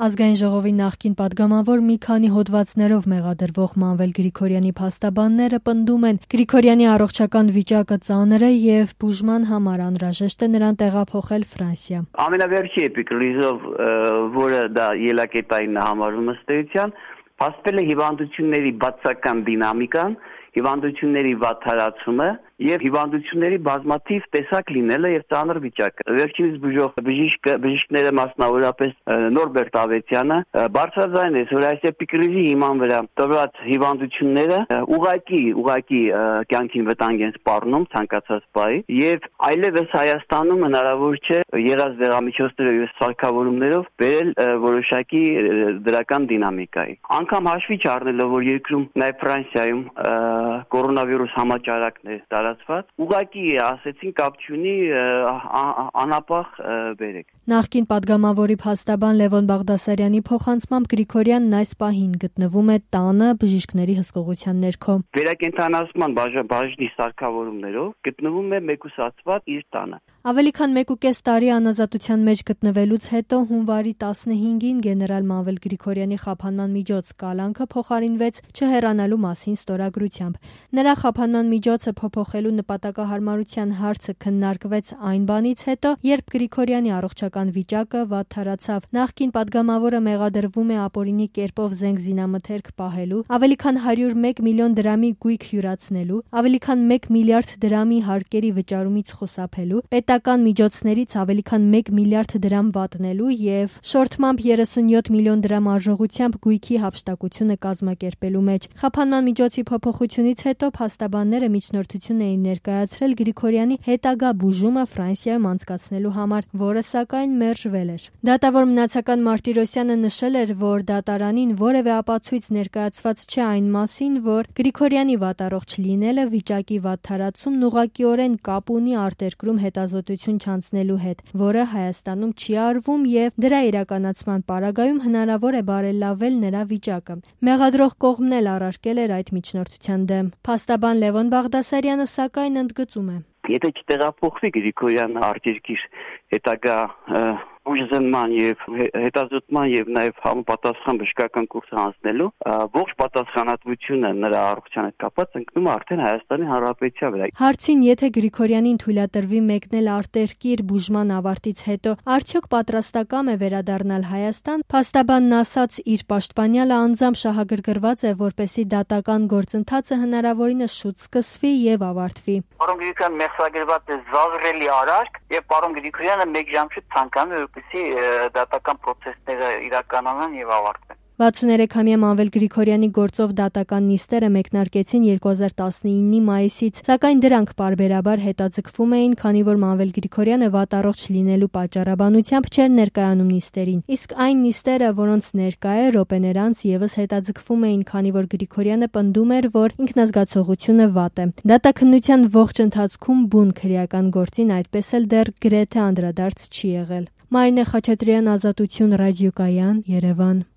Ազգային ժողովի նախկին պատգամավոր մի քանի հոդվածներով մեղադրվող Մանվել Գրիգորյանի փաստաբանները պնդում են, Գրիգորյանի առողջական վիճակը ծանր է եւ բուժման համար անհրաժեշտ է նրան տեղափոխել Ֆրանսիա։ Ամենավերջի էպիկրիզով, որը դա ելակետային համարվում ըստ էության, փաստվել է հիվանդությունների բացական դինամիկան, հիվանդությունների վատթարացումը եւ հիվանդությունների բազմաթիվ տեսակ լինելը եւ ծանր վիճակը։ Վերջինս բուժող բժիշկները մասնավորապես Նորբերտ Ավետյանը բարձրաձայնեց, որ այս էպիկրիզի հիման վրա տված հիվանդությունները ուղղակի կյանքին վտանգ են սպառնում ցանկացած բայի եւ այլևս Հայաստանում հնարավոր չէ եղած դեղամիջոցներով եւ սարքավորումներով բերել որոշակի դրական դինամիկայի։ Անկամ հաշվի չառնելով, որ երկրում նաեւ Ֆրանսիայում կորոնավիրուս համաճարակն է տարածված, ուղղակի ասեցին կապ չունի, անապահ բերեք։ Նախկին պատգամավորի փաստաբան Լևոն Բաղդասարյանի փոխանցմամբ Գրիգորյանն այս պահին գտնվում է տանը բժիշկների հսկողության ներքո։ Վերակենդանացման բաժնի սարքավորումներով գտնվում է մեկուսացված իր տանը։ Ավելի քան 1.5 տարի անազատության մեջ գտնվելուց հետո հունվարի 15-ին գեներալ Մանվել Գրիգորյանի խափանման միջոց կալանքը փոխարինվեց չհեռանալու մասին ստորագրությամբ։ Նրա խափանման միջոցը փոփոխելու նպատակահարմարության հարցը քննարկվեց այն բանից հետո, երբ Գրիգորյանի առողջական վիճակը վատթարացավ։ Նախկին պատգամավորը մեղադրվում է ապօրինի կերպով զենք զինամթերք պահելու, ավելի քան 101 միլիոն դրամի գույք հյուրացնելու, ավելի քան 1 միլիարդ դրամի հարկերի վճարումից խուսափելու, պետական միջոցներից ավելի քան 1 միլիարդ դրամ վատնելու եւ շորթմամբ 37 միլիոն դրամ արժողությամբ գույքի հափշտակությունը կազմակերպելու մեջ։ Խափանման միջոցի փոփոխությունից հետո փաստաբանները միջնորդություն էին ներկայացրել Գրիգորյանի հետագա բուժումը Ֆրանսիայում անցկացնելու համար, որը սակայն մերժվել էր։ Դատավոր Մնացական Մարտիրոսյանը նշել էր, որ դատարանին որևէ ապացույց ներկայացված չէ այն մասին, որ Գրիգորյանի վատառողջ լինելը վիճակի վատթարացումն ուղղակիորեն կապ ունի արտերկրում հետազոտություն չանցնելու հետ, որը Հայաստանում չի արվում եւ դրա իրականացման պարագայում հնարավոր է բարելավել նրա վիճակը։ Մեղադրող կողմն էլ առարկել էր այդ միջնորդության դեմ։ Փաստաբան Լևոն Բաղդասարյանը սակայն ընդգծում է. Եթե չտեղափոխվի Գրիգորյանը արտերկիր հետագա ուժզնման եւ հետազոտման եւ նաեւ համապատասխան բժշկական կուրսը անցնելու ողջ պատասխանատվությունը նրա առողջության հետ կապված ընկնում է արդեն Հայաստանի Հանրապետության վրա։ Հարցին, եթե Գրիգորյանին թույլատրվի մեկնել արտերկիր բուժման ավարտից հետո, արդյոք պատրաստակամ է վերադառնալ Հայաստան, փաստաբանն ասաց, իր պաշտպանյալը անձամբ շահագրգռված է, որպեսզի դատական գործընթացը հնարավորինս շուտ սկսվի եւ ավարտվի։ Պարոն Գրիգորյանը մեղսագրված է զազրելի արարք եւ պարոն Գրիգորյանը մեկ ժամ շուտ ցանկանում է որպեսզի դատական process-ները իրականանան եւ ավարտվեն։ 63-ամյա Մանվել Գրիգորյանի գործով դատական նիստերը մեկնարկեցին 2019-ի մայիսից, սակայն դրանք պարբերաբար հետաձգվում էին, քանի որ Մանվել Գրիգորյանը վատառողջ լինելու պատճառաբանությամբ չէր ներկայանում նիստերին։ Իսկ այն նիստերը, որոնց ներկա է րոպեներ անց եւս հետաձգվում էին, քանի որ Գրիգորյանը պնդում էր, որ ինքնազգացողությունը վատ է։ Դատաքննության ողջ ընթացքում բուն քրեական գործին այդպես էլ դեռ գրեթե անդրադարձ չի եղել։ Մարինե Խաչատրյան, Ազատություն ռադիոկայան, Երևան։